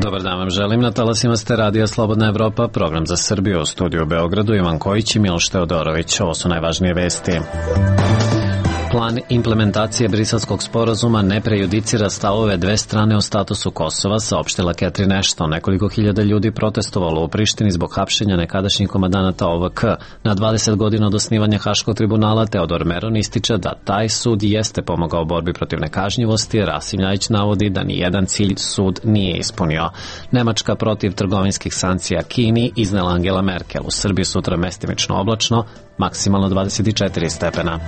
Dobar dan vam želim. Na talasima ste Radija Slobodna Evropa, program za Srbiju, u studiju u Beogradu, Ivan Kojić i Miloš Teodorović. Ovo su najvažnije vesti. Plan implementacije Briselskog sporazuma ne prejudicira stavove dve strane o statusu Kosova, saopštila Catherine Ashton. Nekoliko hiljada ljudi protestovalo u Prištini zbog hapšenja nekadašnjih komandanata OVK. Na 20 godina od osnivanja Haškog tribunala Teodor Meron ističe da taj sud jeste pomogao borbi protiv nekažnjivosti. Rasim Ljajić navodi da nijedan cilj sud nije ispunio. Nemačka protiv trgovinskih sankcija Kini iznela Angela Merkel. U Srbiji sutra mestimično oblačno, maksimalno 24 stepena.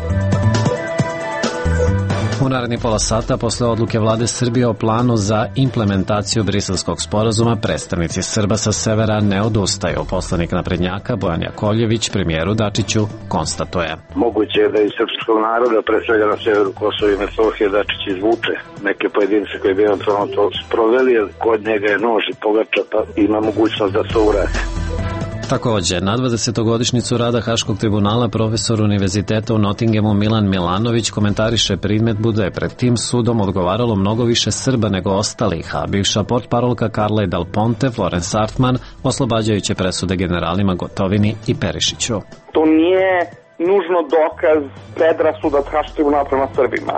U narednih pola sata, posle odluke vlade Srbije o planu za implementaciju Briselskog sporazuma, predstavnici Srba sa severa ne odustaju. Poslanik naprednjaka Bojan Jakovljević premijeru Dačiću konstatuje: Moguće je da iz srpskog naroda, pre svega na severu Kosova i Metohije, Dačić izvuče neke pojedince koji bi eventualno to sproveli, jer kod njega je nož i pogača, pa ima mogućnost da to uradi. Takođe, na 20-godišnjicu rada Haškog tribunala profesor Univerziteta u Nottinghamu Milan Milanović komentariše primedbu da je pred tim sudom odgovaralo mnogo više Srba nego ostalih, a bivša portparolka Carla Del Ponte, Florence Artman, oslobađajuće presude generalima Gotovini i Perišiću. To nije nužno dokaz predrasuda Haškog tribunala prema Srbima,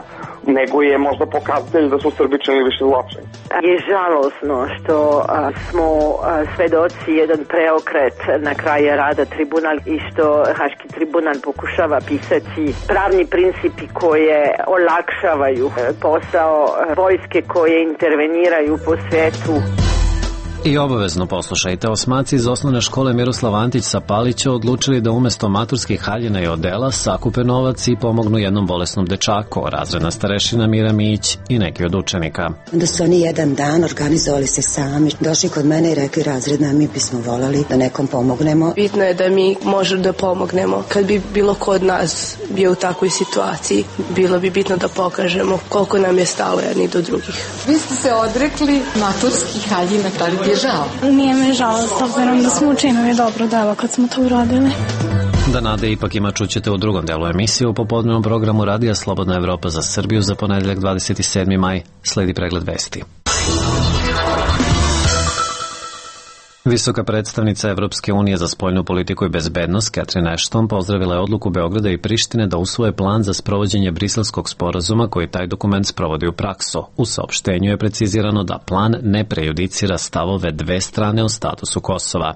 nego je možda pokazatelj da su Srbi činili više zločina. Je žalosno što smo svedoci jedan preokret na kraju rada tribunal i što Haški tribunal pokušava pisati pravni principi koje olakšavaju posao vojske koje interveniraju po svetu. I obavezno poslušajte, osmaci iz osnovne škole Miroslav Antić sa Palića odlučili da umesto maturskih haljina i odela sakupe novac i pomognu jednom bolesnom dečaku, razredna starešina Mira Mić i neki od učenika. Onda su oni jedan dan organizovali se sami, došli kod mene i rekli: razredna, mi bismo volali da nekom pomognemo. Bitno je da mi možemo da pomognemo. Kad bi bilo ko od nas bio u takvoj situaciji, bilo bi bitno da pokažemo koliko nam je stalo jedni do drugih. Vi ste se odrekli maturskih haljina, tako je žao? Nije me žao, s obzirom da smo učinili dobro delo kad smo to uradili. Da nade ipak ima čućete u drugom delu emisije u popodnevnom programu Radija Slobodna Evropa za Srbiju za ponedeljak 27. maj. Sledi pregled vesti. Visoka predstavnica Evropske unije za spoljnu politiku i bezbednost Catherine Ashton pozdravila je odluku Beograda i Prištine da usvoje plan za sprovođenje Briselskog sporazuma koji taj dokument sprovodi u praksu. U saopštenju je precizirano da plan ne prejudicira stavove dve strane o statusu Kosova.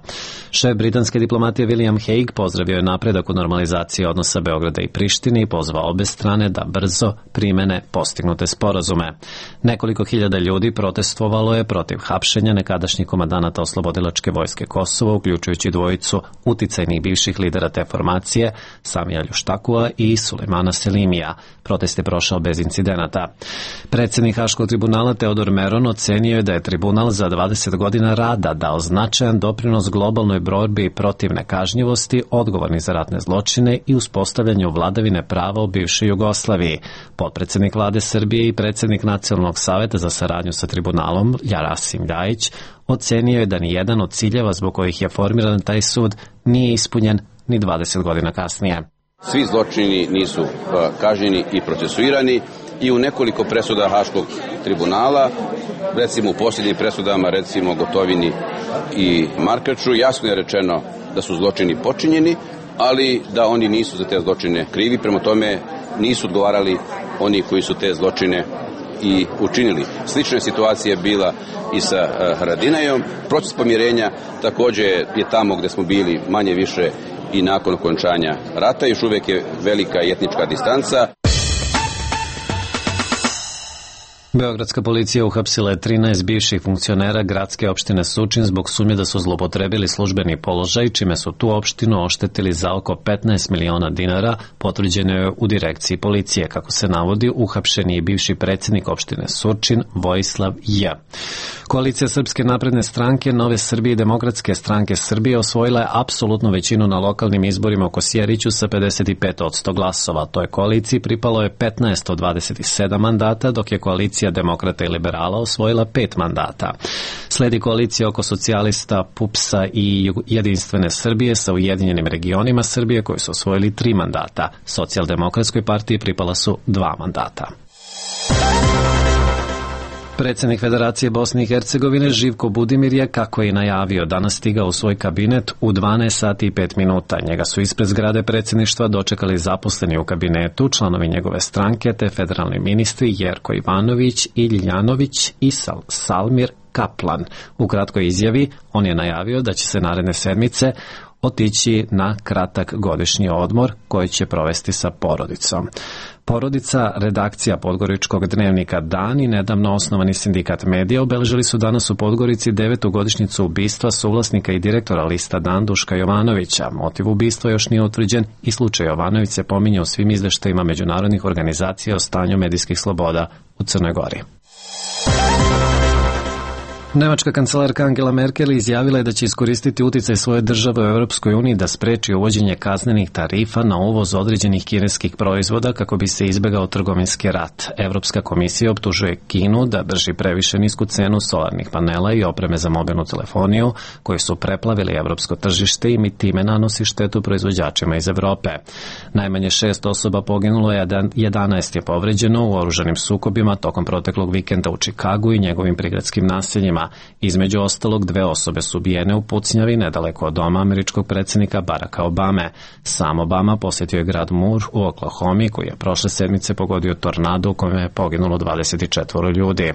Šef britanske diplomatije William Hague pozdravio je napredak u normalizaciji odnosa Beograda i Prištine i pozvao obe strane da brzo primene postignute sporazume. Nekoliko hiljada ljudi protestovalo je protiv hapšenja nekadašnjih komandanata oslobodilačke vojske Kosova, uključujući dvojicu uticajnih bivših lidera te formacije, Samija Ljuštakua i Sulejmana Selimija. Protest je prošao bez incidenata. Predsednik Haškog tribunala Teodor Meron ocenio je da je tribunal za 20 godina rada dao značajan doprinos globalnoj borbi protiv nekažnjivosti, odgovorni za ratne zločine i uspostavljanju vladavine prava u bivšoj Jugoslaviji. Potpredsednik vlade Srbije i predsednik Nacionalnog saveta za saradnju sa tribunalom, Rasim Ljajić, ocenio je da ni jedan od ciljeva zbog kojih je formiran taj sud nije ispunjen ni 20 godina kasnije. Svi zločini nisu kažnjeni i procesuirani i u nekoliko presuda Haškog tribunala, recimo u posljednjim presudama, recimo Gotovini i Markaču, jasno je rečeno da su zločini počinjeni, ali da oni nisu za te zločine krivi, prema tome nisu odgovarali oni koji su te zločine i učinili. Slična situacija je bila i sa Haradinajom. Proces pomirenja takođe je tamo gde smo bili manje više i nakon okončanja rata. Još uvek je velika etnička distanca. Beogradska policija uhapsila je 13 bivših funkcionera gradske opštine Surčin zbog sumnje da su zlopotrebili službeni položaj, čime su tu opštinu oštetili za oko 15 miliona dinara, potvrđeno je u direkciji policije. Kako se navodi, uhapšen je bivši predsednik opštine Surčin, Vojislav J. Koalicija Srpske napredne stranke, Nove Srbije i Demokratske stranke Srbije osvojila je apsolutnu većinu na lokalnim izborima u Kosjeriću sa 55% glasova. Toj koaliciji pripalo je 15 od 27 mandata, dok je koalicija Demokrata i Liberala osvojila 5 mandata. Sledi koalicija oko socijalista, PUPS-a i Jedinstvene Srbije sa Ujedinjenim regionima Srbije koji su osvojili 3 mandata. Socijaldemokratskoj partiji pripala su 2 mandata. Predsjednik Federacije Bosne i Hercegovine Živko Budimir je, kako je najavio, danas stigao u svoj kabinet u 12 sati i 5 minuta. Njega su ispred zgrade predsjedništva dočekali zaposleni u kabinetu, članovi njegove stranke te federalni ministri Jerko Ivanović, Iljanović i Salmir Kaplan. U kratkoj izjavi on je najavio da će se naredne sedmice otići na kratak godišnji odmor koji će provesti sa porodicom. Porodica, redakcija podgoričkog dnevnika Dan i nedavno osnovani sindikat medija obeležili su danas u Podgorici 9. godišnjicu ubistva suvlasnika i direktora lista Dan Duška Jovanovića. Motiv ubistva još nije utvrđen i slučaj Jovanović se pominje u svim izveštajima međunarodnih organizacija o stanju medijskih sloboda u Crnoj Gori. Nemačka kancelarka Angela Merkel izjavila je da će iskoristiti uticaj svoje države u Europskoj uniji da spreči uvođenje kaznenih tarifa na uvoz određenih kineskih proizvoda kako bi se izbegao trgovinski rat. Evropska komisija optužuje Kinu da drži previše nisku cenu solarnih panela i opreme za mobilnu telefoniju koji su preplavili evropsko tržište i time nanosi štetu proizvođačima iz Evrope. Najmanje 6 osoba poginulo, 11 je povređeno u oružanim sukobima tokom proteklog vikenda u Čikagu i njegovim prigradskim naseljima. Između ostalog, 2 osobe su ubijene u pucnjavi nedaleko od doma američkog predsjednika Baracka Obame. Sam Obama posjetio je grad Moore u Oklahomi koji je prošle sedmice pogodio tornado u kojem je poginulo 24 ljudi.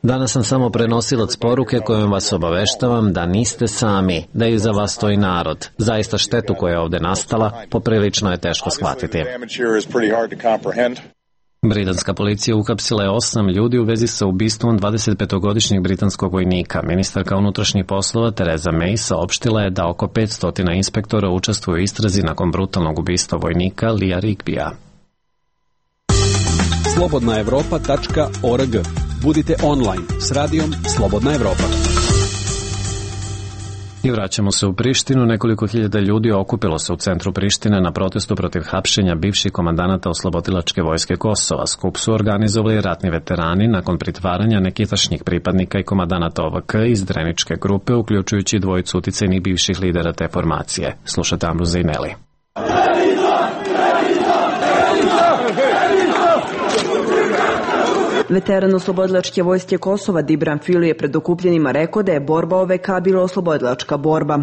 Danas sam samo prenosilac poruke kojom vas obaveštavam da niste sami, da iza vas stoji narod. Zaista štetu koja je ovdje nastala poprilično je teško shvatiti. Britanska policija uhapsila je 8 ljudi u vezi sa ubistvom 25-godišnjeg britanskog vojnika. Ministarka unutrašnjih poslova Theresa May saopštila je da oko 500 inspektora učestvuje u istrazi nakon brutalnog ubistva vojnika Lea Rigbija. slobodnaevropa.org. Budite online s radijom Slobodna Evropa. I vraćamo se u Prištinu. Nekoliko hiljada ljudi okupilo se u centru Prištine na protestu protiv hapšenja bivših komandanata oslobodilačke vojske Kosova. Skup su organizovali ratni veterani nakon pritvaranja nekitašnjih pripadnika i komandanata OVK iz Dreničke grupe, uključujući 2 uticajnih bivših lidera te formacije. Slušate Amru Zejneli. Veteran oslobodilačke vojske Kosova Dibran Fili je pred okupljenima rekao da je borba OVK bila oslobodilačka borba.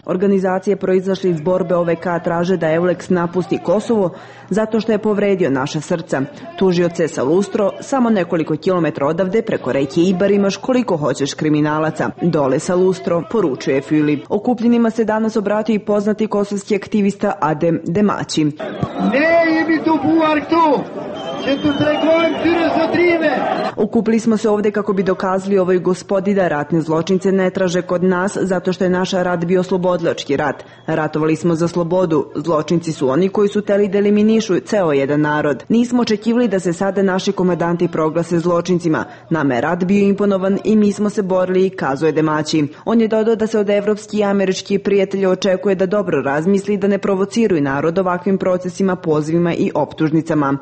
Organizacije proizašle iz borbe OVK traže da EULEX napusti Kosovo zato što je povredio naša srca. Tužioce sa Lustro, samo nekoliko kilometra odavde preko reke Ibar imaš koliko hoćeš kriminalaca. Dole sa Lustro, poručuje Fili. Okupljenima se danas obratio i poznati kosovski aktivista Adem Demaći. Okupili smo se ovdje kako bi dokazali ovoj gospodi da ratne zločince ne traže kod nas zato što je naš rat bio oslobodilački rat. Ratovali smo za slobodu. Zločinci su oni koji su teli da eliminišu ceo jedan narod. Nismo očekivali da se sada naši komandanti proglase zločincima. Nama je rat bio imponovan i mi smo se borili, kazuje Demaći. On je dodao da se od evropskih i američkih prijatelja očekuje da dobro razmisli da ne provociraju narod ovakvim procesima, pozivima i optužnicama.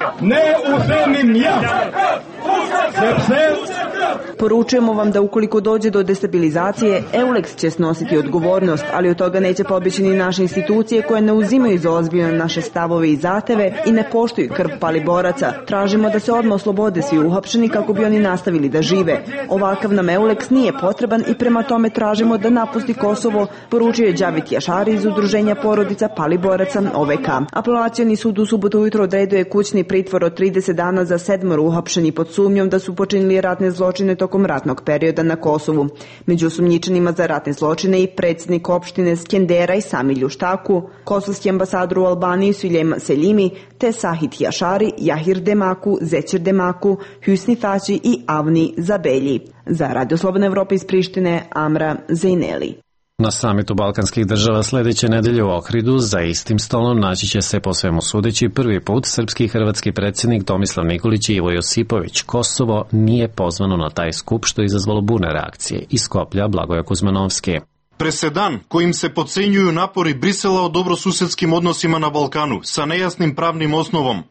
Poručujemo vam da ukoliko dođe do destabilizacije, EULEX će snositi odgovornost, ali od toga neće pobjeći ni naše institucije koje ne uzimaju za ozbiljno naše stavove i zahteve i ne poštuju krv pali boraca. Tražimo da se odmah oslobode svi uhapšeni kako bi oni nastavili da žive. Ovakav nam EULEX nije potreban i prema tome tražimo da napusti Kosovo, poručio je Đavit Jašari iz udruženja porodica pali boraca OVK. Apelacioni sud u subotu ujutro odredio je kućni pritvor od 30 dana za 7 uhapšeni pod sumnjom da su počinili ratne zločine tokom ratnog perioda na Kosovu. Među osumnjičenima za ratne zločine i predsjednik opštine Skendera i Sami Ljuštaku, kosovski ambasador u Albaniji Sulejman Selimi, te Sahit Jašari, Jahir Demaku, Zećir Demaku, Hüsni Faći i Avni Zabelji. Za Radio Slobodna Evropa iz Prištine, Amra Zejneli. Na samitu balkanskih država sljedeće nedelje u Ohridu za istim stolom naći će se po svemu sudeći prvi put srpski i hrvatski predsjednik Tomislav Nikolić i Ivo Josipović. Kosovo nije pozvano na taj skup što je izazvalo burne reakcije. Iz Skoplja Blagoje Kuzmanovski. Presedan kojim se podcenjuju napori Brisela o dobrosusedskim odnosima na Balkanu sa nejasnim pravnim osnovom.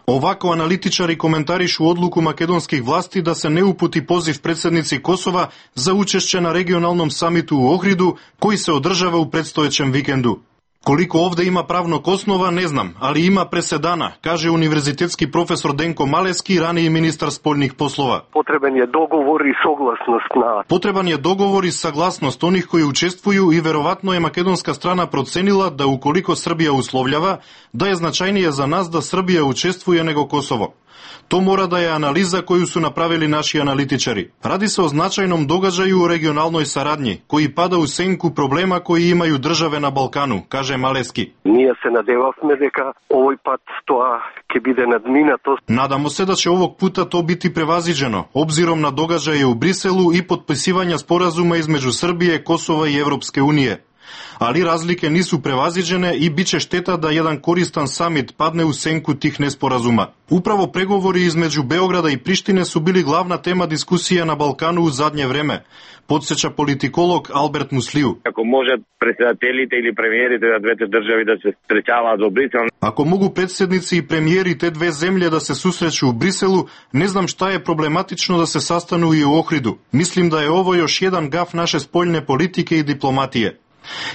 Ovako analitičari komentarišu odluku makedonskih vlasti da se ne uputi poziv predsjednici Kosova za učešće na regionalnom samitu u Ohridu koji se održava u predstojećem vikendu. Koliko ovde ima pravnog osnova, ne znam, ali ima presedana, kaže univerzitetski profesor Denko Maleski, raniji ministar spoljnih poslova. Potreban je dogovor i saglasnost na... Potreban je dogovor i saglasnost onih koji učestvuju i verovatno je makedonska strana procenila da ukoliko Srbija uslovljava, da je značajnije za nas da Srbija učestvuje nego Kosovo. To mora da je analiza koju su napravili naši analitičari. Radi se o značajnom događaju u regionalnoj saradnji, koji pada u senku problema koji imaju države na Balkanu, kaže Maleski. Ние се надевавме дека овој пат тоа ќе биде надминато. Nadamo se da će ovog puta to biti prevaziđeno, obzirom na događaje u Briselu i potpisivanja sporazuma između Srbije, Kosova i Evropske unije. Ali razlike nisu prevaziđene i bit će šteta da jedan koristan samit padne u senku tih nesporazuma. Upravo pregovori između Beograda i Prištine su bili glavna tema diskusija na Balkanu u zadnje vreme, podsjeća politikolog Albert Musliju. Ako može predsjedateljite ili premijerite da dvete državi da se srećava do Brisela. Ako mogu predsjednici i premijeri te dve zemlje da se susreću u Briselu, ne znam šta je problematično da se sastanu i u Ohridu. Mislim da je ovo još jedan gaf naše spoljne politike i diplomatije.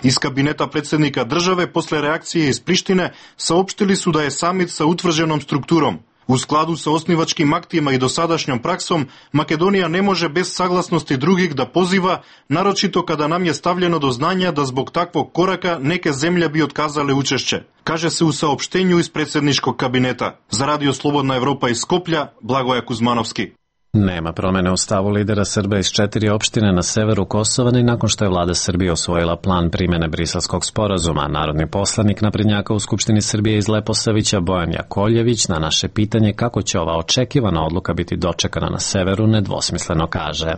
Iz kabineta predsjednika države posle reakcije iz Prištine saopštili su da je samit sa utvrđenom strukturom. U skladu sa osnivačkim aktima i dosadašnjom praksom, Makedonija ne može bez saglasnosti drugih da poziva, naročito kada nam je stavljeno do znanja da zbog takvog koraka neke zemlje bi otkazale učešće, kaže se u saopštenju iz predsjedničkog kabineta. Za Radio Slobodna Evropa iz Skoplja, Blagoja Kuzmanovski. Nema promene u stavu lidera Srba iz 4 opštine na severu Kosova ni nakon što je vlada Srbije osvojila plan primjene Briselskog sporazuma. Narodni poslanik naprednjaka u Skupštini Srbije iz Leposavića Bojan Jakovljević na naše pitanje kako će ova očekivana odluka biti dočekana na severu nedvosmisleno kaže.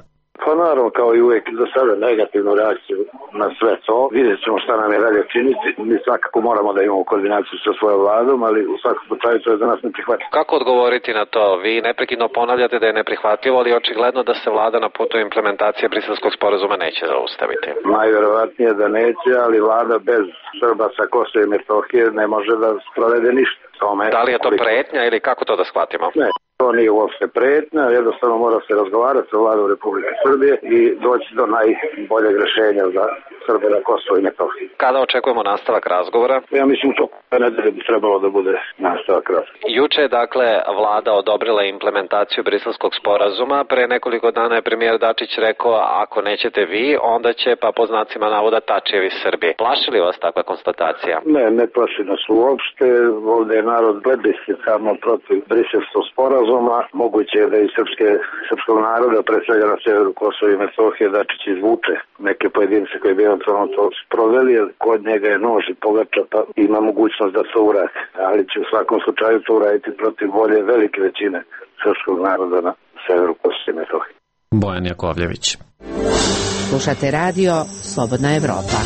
Pa naravno, kao i uvijek za sada negativnu reakciju na sve to. Vidjet ćemo šta nam je dalje činiti. Mi svakako moramo da imamo koordinaciju sa svojom vladom, ali u svakom slučaju to je za nas neprihvatljivo. Kako odgovoriti na to? Vi neprekidno ponavljate da je neprihvatljivo, ali očigledno da se vlada na putu implementacije Briselskog sporazuma neće zaustaviti. Najverovatnije da neće, ali vlada bez Srba sa Kosova i Metohije ne može da sprovede ništa. Da li je to pretnja ili kako to da shvatimo? Ne. To nije uopšte pretnja, jednostavno mora se razgovarati sa vladom Republike Srbije i doći do najboljeg rešenja za Srbe na Kosovo i Metohiji. Kada očekujemo nastavak razgovora? Ja mislim to nedelje bi trebalo da bude nastavak razgovora. Juče je dakle vlada odobrila implementaciju Briselskog sporazuma. Pre nekoliko dana je premijer Dačić rekao ako nećete vi, onda će pa po znacima navoda Tačijevi Srbi. Plaši li vas takva konstatacija? Ne plaši nas uopšte. Ovde je narod plebiscitarno protiv Briselskog sporazuma. Moguće je da i srpskog naroda, pre svega na severu Kosova i Metohije, Dačić izvuče neke pojedince koji bi eventualno to sproveli, jer kod njega je nož i pogača, pa ima mogućnost da to uradi. Ali će u svakom slučaju to uraditi protiv volje velike većine srpskog naroda na severu Kosova i Metohije. Bojan Jakovljević. Slušate radio Slobodna Evropa.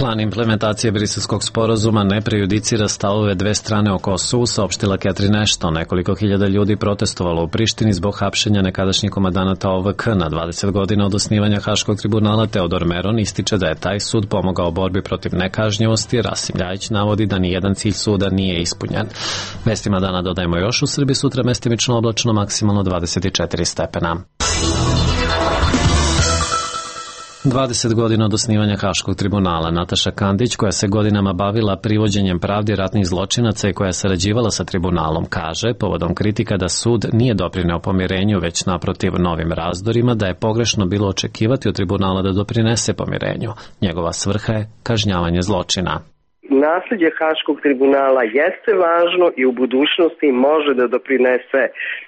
Plan implementacije Briselskog sporazuma ne prejudicira stavove dve strane o Kosovu, saopštila Catherine Ashton. Nekoliko hiljada ljudi protestovalo u Prištini zbog hapšenja nekadašnjeg komandanata OVK. Na 20 godina od osnivanja Haškog tribunala Teodor Meron ističe da je taj sud pomogao borbi protiv nekažnjivosti. Rasim Ljajić navodi da ni jedan cilj suda nije ispunjen. Vestima dana dodajemo još u Srbiji sutra mestimično oblačno, maksimalno 24 stepena. 20 godina od osnivanja Haškog tribunala. Nataša Kandić, koja se godinama bavila privođenjem pravdi ratnih zločinaca i koja je sarađivala sa tribunalom, kaže, povodom kritika da sud nije doprineo pomirenju, već naprotiv novim razdorima, da je pogrešno bilo očekivati od tribunala da doprinese pomirenju. Njegova svrha je kažnjavanje zločina. Nasljeđe Haškog tribunala jeste važno i u budućnosti može da doprinese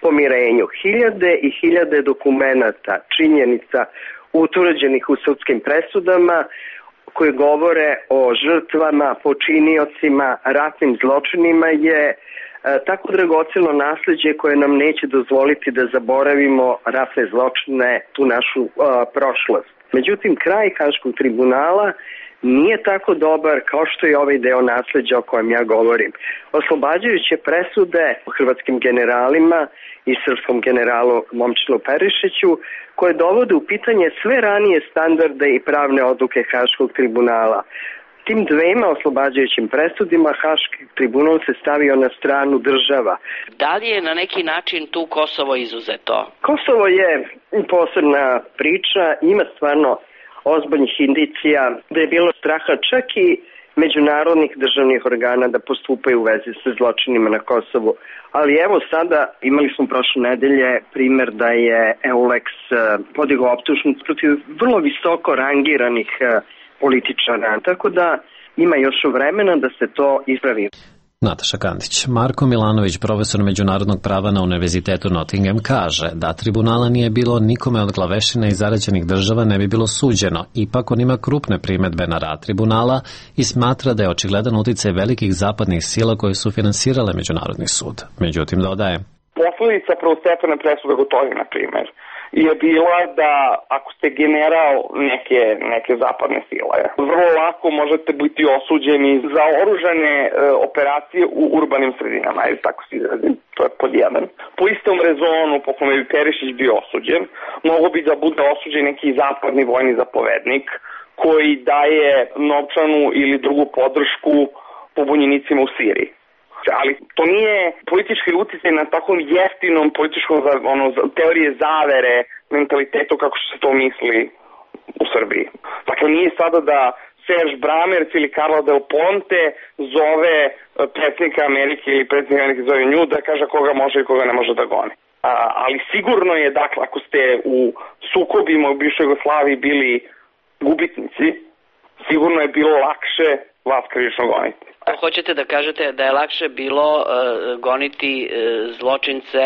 pomirenju. Hiljade i hiljade dokumenata, činjenica utvrđenih u sudskim presudama koje govore o žrtvama, počiniocima, ratnim zločinima je tako dragoceno nasljeđe koje nam neće dozvoliti da zaboravimo ratne zločine, tu našu prošlost. Međutim, kraj Haškog tribunala nije tako dobar kao što je ovaj deo nasljeđa o kojem ja govorim. Oslobađajuće presude hrvatskim generalima i srpskom generalu Momčilu Perišiću, koje dovode u pitanje sve ranije standarde i pravne odluke Haškog tribunala. Tim dvema oslobađajućim presudima Haški tribunal se stavio na stranu država. Da li je na neki način tu Kosovo izuzeto? Kosovo je posebna priča, ima stvarno ozbiljnih indicija da je bilo straha čak i međunarodnih državnih organa da postupaju u vezi sa zločinima na Kosovu. Ali evo sada imali smo prošle nedelje primer da je EULEX podigao optužnicu protiv vrlo visoko rangiranih političara, tako da ima još vremena da se to ispravi. Nataša Kandić. Marko Milanović, profesor međunarodnog prava na Univerzitetu Nottingham, kaže da tribunala nije bilo nikome od glavešina i zarađenih država ne bi bilo suđeno. Ipak on ima krupne primedbe na rad tribunala i smatra da je očigledan uticaj velikih zapadnih sila koje su finansirale Međunarodni sud. Međutim, dodaje. Posledica prvostepene presude Gotovine, na primjer, je bila da ako ste general neke zapadne sile, vrlo lako možete biti osuđeni za oružane operacije u urbanim sredinama, ili tako se izrazim, to je pod jedan. Po istom rezonu po kome bi Perišić bio osuđen, mogo bi da bude osuđen neki zapadni vojni zapovednik koji daje novčanu ili drugu podršku pobunjenicima u Siriji. Ali to nije politički uticaj na takvom jeftinom političkom teorije zavere mentalitetu kako što se to misli u Srbiji. Dakle, nije sada da Serge Bramerc ili Carla Del Ponte zove predsjednika Amerike ili predsjednika Amerike zove nju da kaže koga može i koga ne može da goni. Ali sigurno je, dakle, ako ste u sukobima u bivšoj Jugoslaviji bili gubitnici, sigurno je bilo lakše vas krivično goniti. Hoćete da kažete da je lakše bilo goniti zločince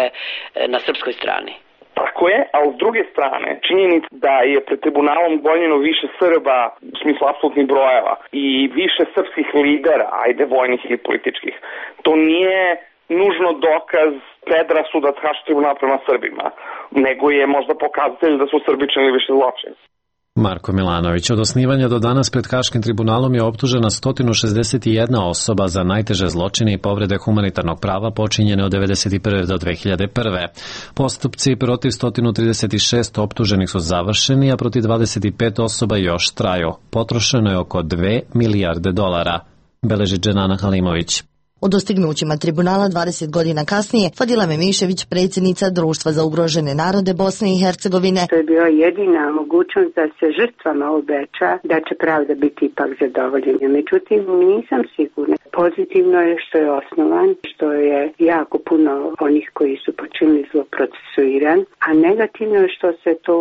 na srpskoj strani? Tako je, a s druge strane, činjenica da je pred tribunalom gonjeno više Srba u smislu apsolutnih brojeva i više srpskih lidera, ajde vojnih ili političkih, to nije nužno dokaz predrasuda Haškog tribunala prema Srbima, nego je možda pokazatelj da su Srbi činili više zločina. Marko Milanović. Od osnivanja do danas pred Haškim tribunalom je optužena 161 osoba za najteže zločine i povrede humanitarnog prava počinjene od 1991. do 2001. Postupci protiv 136 optuženih su završeni, a protiv 25 osoba još traju. Potrošeno je oko 2 milijarde dolara, beleži Dženana Halimović. O dostignućima tribunala 20 godina kasnije Fadila Memišević, predsjednica Društva za ugrožene narode Bosne i Hercegovine. To je bila jedina mogućnost da se žrtvama obeća da će pravda biti ipak zadovoljena. Međutim, nisam sigurna. Pozitivno je što je osnovan, što je jako puno onih koji su počinili zlo procesuiran, a negativno je što se to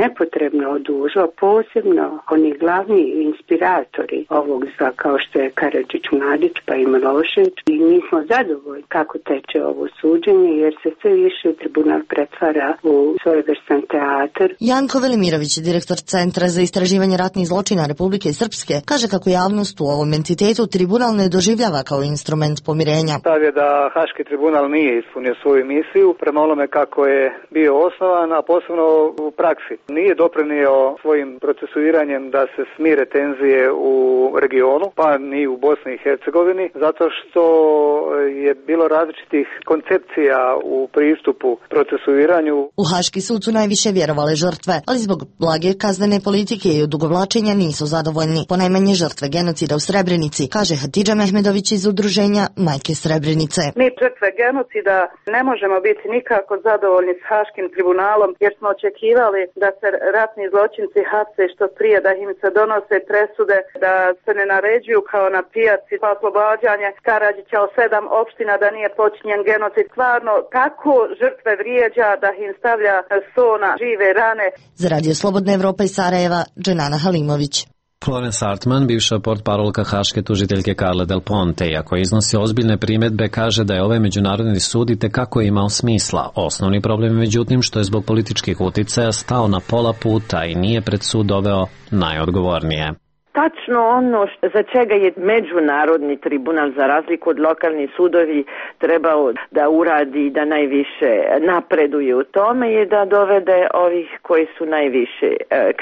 nepotrebno odužilo, posebno oni glavni inspiratori ovog zla kao što je Karadžić Mladić pa i Milošević. I mi smo zadovoljni kako teče ovo suđenje jer se sve više tribunal pretvara u svojevrstan teatar. Janko Velimirović, direktor Centra za istraživanje ratnih zločina Republike Srpske, kaže kako javnost u ovom entitetu tribunal ne doživljava kao instrument pomirenja. Stav je da Haški tribunal nije ispunio svoju misiju prema onome kako je bio osnovan, a posebno u praksi. Nije doprinio svojim procesuiranjem da se smire tenzije u regionu, pa ni u Bosni i Hercegovini, zato što je bilo različitih koncepcija u pristupu procesuiranju. U Haški sud su najviše vjerovale žrtve, ali zbog blage kaznene politike i odugovlačenja nisu zadovoljni. Ponajmanje žrtve genocida u Srebrenici, kaže Hatidža Mehmedović iz udruženja Majke Srebrenice. Mi žrtve genocida ne možemo biti nikako zadovoljni s Haškim tribunalom jer smo očekivali da se ratni zločinci hapse što prije, da im se donose presude, da se ne naređuju kao na pijaci pa oslobađanje Karadžića o 7 opština da nije počinjen genocid. Stvarno tako žrtve vrijeđa da im stavlja so na žive rane. Za Radio Slobodna Evropa iz Sarajeva, Dženana Halimović. Florence Hartman, bivša portparolka haške tužiteljke Carle Del Ponte, iako iznosi ozbiljne primjedbe, kaže da je ovaj međunarodni sud itekako imao smisla. Osnovni problem je međutim što je zbog političkih uticaja stao na pola puta i nije pred sud doveo najodgovornije. Tačno ono za čega je međunarodni tribunal za razliku od lokalnih sudovi trebao da uradi, da najviše napreduje u tome je da dovede ovih koji su najviše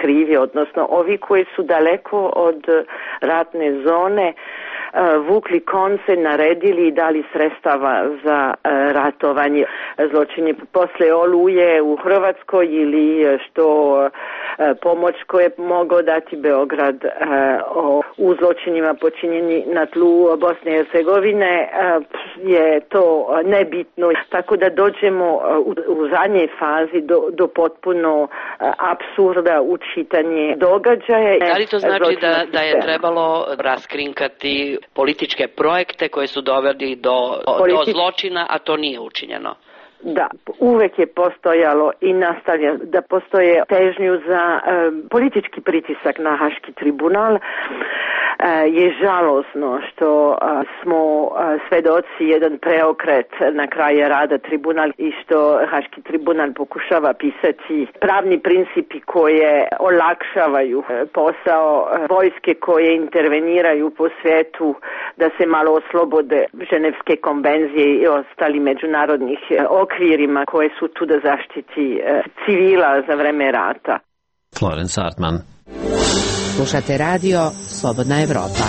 krivi, odnosno ovi koji su daleko od ratne zone, vukli konce, naredili i dali sredstava za ratovanje zločini posle Oluje u Hrvatskoj ili što pomoć koje je mogao dati Beograd u zločinima počinjeni na tlu Bosne i Hercegovine je to nebitno, tako da dođemo u zadnjej fazi do potpuno apsurda u čitanje događaja. Da li to znači da je trebalo raskrinkati političke projekte koje su doveli do zločina, a to nije učinjeno? Da, uvek je postojalo i nastavlja da postoje težnju za politički pritisak na Haški tribunal. Je žalosno što smo svedoci jedan preokret na kraju rada tribunal i što Haški tribunal pokušava pisati pravni principi koje olakšavaju posao vojske koje interveniraju po svijetu da se malo oslobode Ženevske konvencije i ostali međunarodnih okvirima koje su tu da zaštiti civila za vreme rata. Florence Hartman. Slušate radio Slobodna Evropa.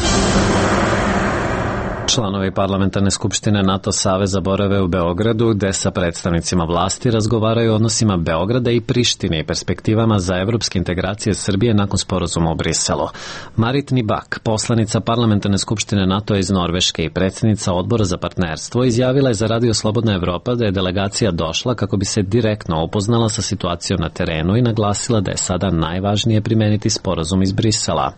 Članovi parlamentarne skupštine NATO saveza borave u Beogradu, gde sa predstavnicima vlasti razgovaraju o odnosima Beograda i Prištine i perspektivama za evropske integracije Srbije nakon sporazuma u Briselu. Marit Nibak, poslanica parlamentarne skupštine NATO iz Norveške i predsjednica odbora za partnerstvo, izjavila je za radio Slobodna Evropa da je delegacija došla kako bi se direktno upoznala sa situacijom na terenu i naglasila da je sada najvažnije primeniti sporazum iz Brisela.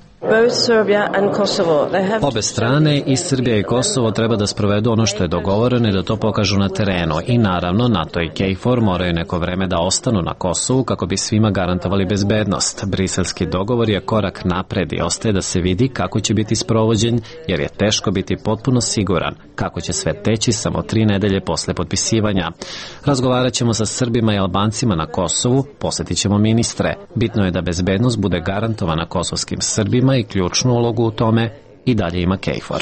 Obe strane, i Srbija i Kosovo, treba da sprovedu ono što je dogovoreno i da to pokažu na terenu. I naravno, NATO i KFOR moraju neko vreme da ostanu na Kosovu kako bi svima garantovali bezbednost. Briselski dogovor je korak napred i ostaje da se vidi kako će biti sprovođen, jer je teško biti potpuno siguran kako će sve teći samo 3 nedelje posle potpisivanja. Razgovarat ćemo sa Srbima i Albancima na Kosovu, posjetit ćemo ministre. Bitno je da bezbednost bude garantovana kosovskim Srbima i ključnu ulogu u tome i dalje ima KFOR.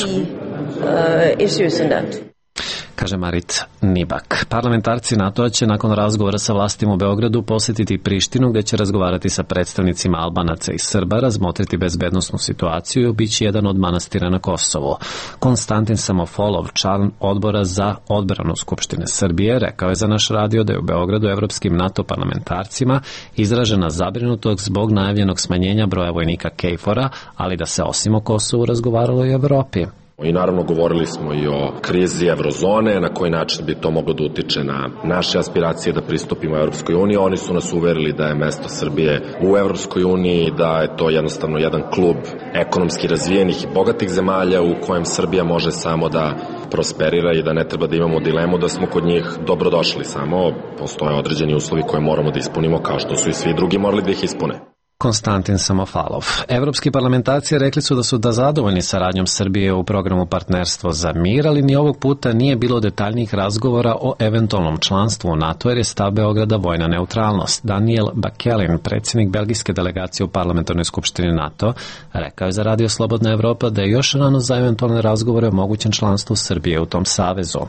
Kaže Marit Nibak. Parlamentarci NATO-a će nakon razgovora sa vlastima u Beogradu posjetiti Prištinu, gde će razgovarati sa predstavnicima Albanaca i Srba, razmotriti bezbednosnu situaciju i obići jedan od manastira na Kosovu. Konstantin Samofolov, član odbora za odbranu Skupštine Srbije, rekao je za naš radio da je u Beogradu evropskim NATO parlamentarcima izražena zabrinutost zbog najavljenog smanjenja broja vojnika KFOR-a, ali da se osim o Kosovu razgovaralo i o Evropi. I naravno govorili smo i o krizi eurozone, na koji način bi to moglo da utiče na naše aspiracije da pristupimo Evropskoj uniji. Oni su nas uverili da je mesto Srbije u Evropskoj uniji, da je to jednostavno jedan klub ekonomski razvijenih i bogatih zemalja u kojem Srbija može samo da prosperira i da ne treba da imamo dilemu da smo kod njih dobrodošli. Samo postoje određeni uslovi koje moramo da ispunimo, kao što su i svi drugi morali da ih ispune. Konstantin Samofalov. Evropski parlamentarci rekli su da su zadovoljni saradnjom Srbije u programu Partnerstvo za mir, ali ni ovog puta nije bilo detaljnijih razgovora o eventualnom članstvu u NATO, jer je stav Beograda vojna neutralnost. Daniel Bakelin, predsjednik belgijske delegacije u parlamentarnoj skupštini NATO, rekao je za radio Slobodna Evropa da je još rano za eventualne razgovore o mogućem članstvu Srbije u tom savezu.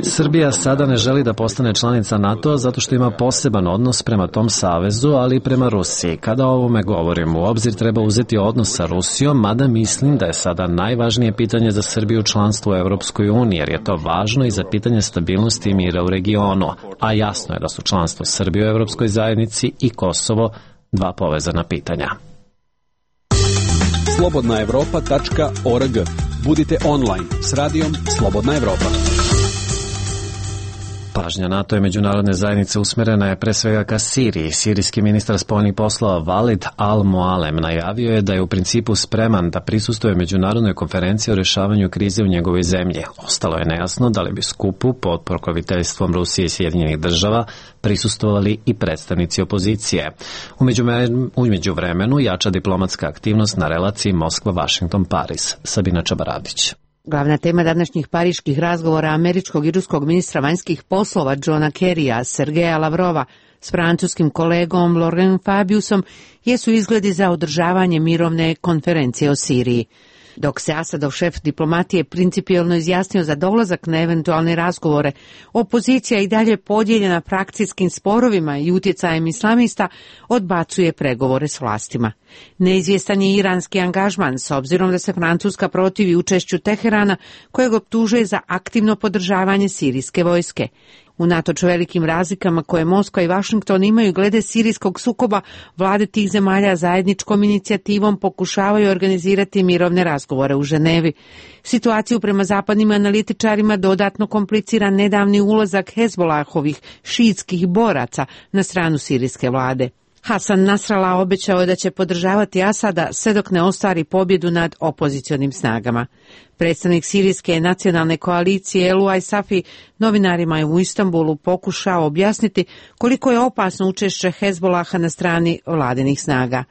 Srbija sada ne želi da postane članica NATO zato što ima poseban odnos prema tom savezu, ali i prema Rusiji. Kada o ovome govorim, u obzir treba uzeti odnos sa Rusijom, mada mislim da je sada najvažnije pitanje za Srbiju članstvo u Evropskoj uniji, jer je to važno i za pitanje stabilnosti i mira u regionu. A jasno je da su članstvo Srbije u Evropskoj zajednici i Kosovo dva povezana pitanja. slobodnaevropa.org. Budite online s radijom Slobodna Evropa. Pažnja NATO i međunarodne zajednice usmerena je pre svega ka Siriji. Sirijski ministar spoljnih poslova Walid al-Mualem najavio je da je u principu spreman da prisustvuje međunarodnoj konferenciji o rješavanju krize u njegovoj zemlji. Ostalo je nejasno da li bi skupu pod pokroviteljstvom Rusije i Sjedinjenih država prisustvovali i predstavnici opozicije. U međuvremenu jača diplomatska aktivnost na relaciji Moskva-Vašington-Paris. Sabina Čabaradić. Glavna tema današnjih pariških razgovora američkog i ruskog ministra vanjskih poslova Johna Kerrya, Sergeja Lavrova, s francuskim kolegom Laurent Fabiusom jesu izgledi za održavanje mirovne konferencije o Siriji. Dok se Asadov šef diplomatije principijelno izjasnio za dolazak na eventualne razgovore, opozicija i dalje podijeljena frakcijskim sporovima i utjecajem islamista odbacuje pregovore s vlastima. Neizvjestan je iranski angažman, s obzirom da se Francuska protivi učešću Teherana, kojeg optužuje za aktivno podržavanje sirijske vojske. Unatoč velikim razlikama koje Moskva i Vašington imaju glede sirijskog sukoba, vlade tih zemalja zajedničkom inicijativom pokušavaju organizirati mirovne razgovore u Ženevi. Situaciju prema zapadnim analitičarima dodatno komplicira nedavni ulazak Hezbolahovih šiitskih boraca na stranu sirijske vlade. Hasan Nasrallah obećao je da će podržavati Asada sve dok ne ostvari pobjedu nad opozicionim snagama. Predstavnik sirijske nacionalne koalicije Eluaj Safi novinarima je u Istanbulu pokušao objasniti koliko je opasno učešće Hezbolaha na strani vladinih snaga.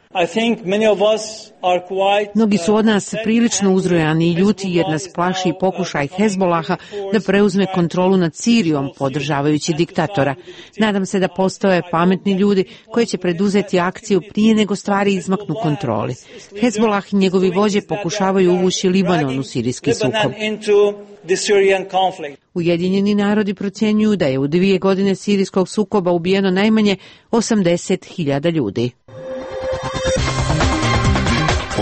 Mnogi su od nas prilično uzrujani i ljuti jer nas plaši pokušaj Hezbolaha da preuzme kontrolu nad Sirijom podržavajući diktatora. Nadam se da postoje pametni ljudi koji će preduzeti akciju prije nego stvari izmaknu kontroli. Hezbolah i njegovi vođe pokušavaju uvući Libanon u sirijski sukob. Ujedinjeni narodi procjenjuju da je u 2 godine sirijskog sukoba ubijeno najmanje 80.000 ljudi.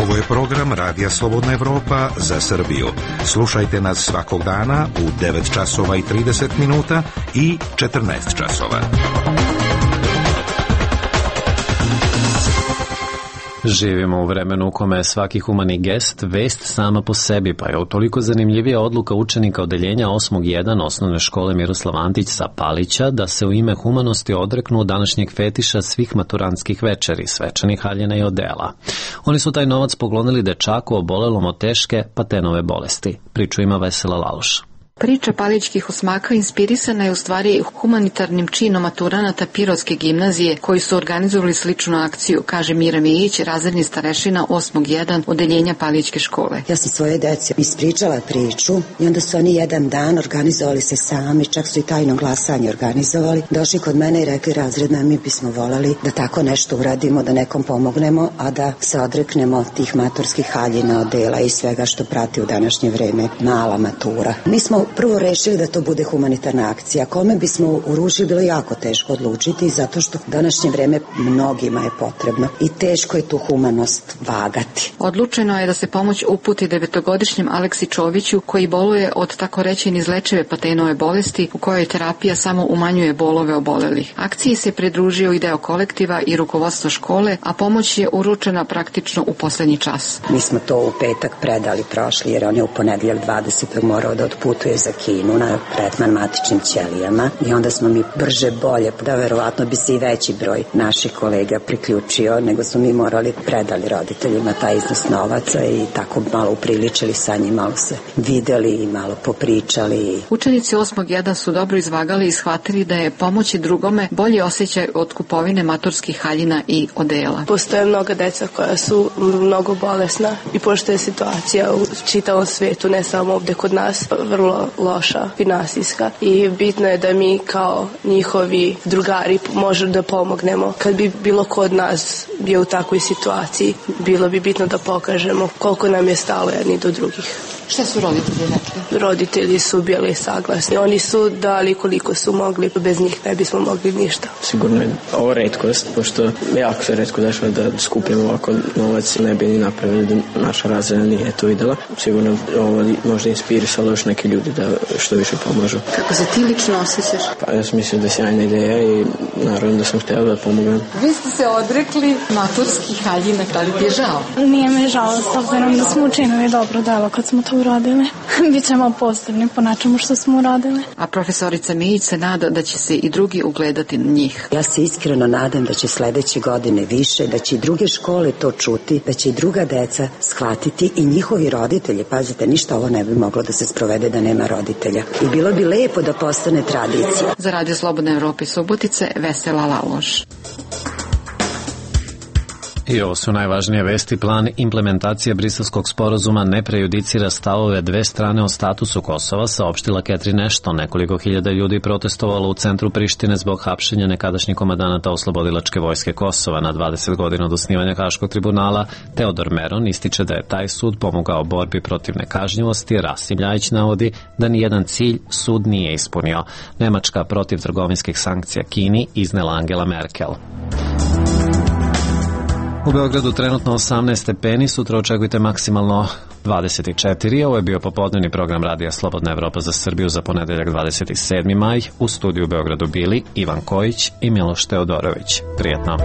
Ovo je program Radija Slobodna Evropa za Srbiju. Slušajte nas svakog dana u 9 časova i 30 minuta i 14 časova. Živimo u vremenu u kome je svaki humani gest vest sama po sebi, pa je utoliko zanimljivija odluka učenika odeljenja 8.1 osnovne škole Miroslav Antić sa Palića da se u ime humanosti odreknu današnjeg fetiša svih maturantskih večeri, svečanih haljina i odela. Oni su taj novac poklonili dečaku obolelom od teške Patenove bolesti. Priču ima Vesela Laloš. Priča palićkih osmaka inspirisana je u stvari humanitarnim činom maturanata Pirotske gimnazije koji su organizovali sličnu akciju, kaže Mira Mijić, razredni starešina 8.1 odeljenja Palićke škole. Ja sam svoje deci ispričala priču i onda su oni jedan dan organizovali se sami, čak su i tajno glasanje organizovali. Došli kod mene i rekli razredna, mi bismo volali da tako nešto uradimo, da nekom pomognemo, a da se odreknemo tih maturskih haljina, odela i svega što prati u današnje vreme mala matura. Mi smo prvo rešili da to bude humanitarna akcija. Kome bismo uručili bilo jako teško odlučiti zato što današnje vreme mnogima je potrebno i teško je tu humanost vagati. Odlučeno je da se pomoć uputi 9-godišnjem Aleksi Čoviću koji boluje od tako reći neizlečive Patenove bolesti u kojoj terapija samo umanjuje bolove obolelih. Akciji se pridružio i deo kolektiva i rukovodstvo škole, a pomoć je uručena praktično u poslednji čas. Mi smo to u petak predali prošli jer on je u ponedjeljak 20. morao da otputuje za Kinu na tretman matičnim ćelijama i onda smo mi brže bolje, da verovatno bi se i veći broj naših kolega priključio, nego smo mi morali predali roditeljima taj iznos novaca i tako malo upriličili sa njim, malo se videli i malo popričali. Učenici 8.1 su dobro izvagali i shvatili da je pomoći drugome bolji osjećaj od kupovine maturskih haljina i odela. Postoje mnoga deca koja su mnogo bolesna i pošto je situacija u čitavom svetu, ne samo ovde kod nas, vrlo loša, finansijska i bitno je da mi kao njihovi drugari možemo da pomognemo. Kad bi bilo ko od nas bio u takvoj situaciji, bilo bi bitno da pokažemo koliko nam je stalo jedni do drugih. Šta su roditelji rekli? Roditelji su bili saglasni. Oni su dali koliko su mogli, bez njih ne bismo mogli ništa. Sigurno je ovo retkost, pošto jako se retko dešava da skupimo ovako novac, ne bi ni napravili da naša razreda nije to videla. Sigurno ovo možda inspirisalo još neke ljudi da što više pomažu. Kako se ti lično osjećaš? Pa ja sam mislio da je sjajna ideja i naravno da sam htjela da pomogam. Vi ste se odrekli maturskih haljina, da li ti je žao? Nije me žao, s obzirom da smo učinili dobro delo kad smo to uradili. Bićemo posebni po nečemu što smo uradili. A profesorica Mijić se nada da će se i drugi ugledati na njih. Ja se iskreno nadam da će sledeće godine više, da će i druge škole to čuti, da će i druga deca shvatiti i njihovi roditelji. Pazite, ništa ovo ne bi moglo da se sprovede da nema roditelja. I bilo bi lepo da postane tradicija. Za Radio Slobodne Evrope Subotice, Vesela Laloš. I ovo su najvažnije vesti. Plan implementacije Briselskog sporazuma ne prejudicira stavove dve strane o statusu Kosova, saopštila Catherine Ashton. Nekoliko hiljada ljudi protestovalo u centru Prištine zbog hapšenja nekadašnjih komandanata oslobodilačke vojske Kosova. Na 20 godina od osnivanja Haškog tribunala Teodor Meron ističe da je taj sud pomogao borbi protiv nekažnjivosti. Rasim Ljajić navodi da nijedan cilj sud nije ispunio. Nemačka protiv trgovinskih sankcija Kini iznela Angela Merkel. U Beogradu trenutno 18 stepeni, sutra očekujte maksimalno 24. Ovo je bio popodnevni program Radija Slobodna Evropa za Srbiju za ponedeljak 27. maj. U studiju u Beogradu bili Ivan Kojić i Miloš Teodorović. Prijetno.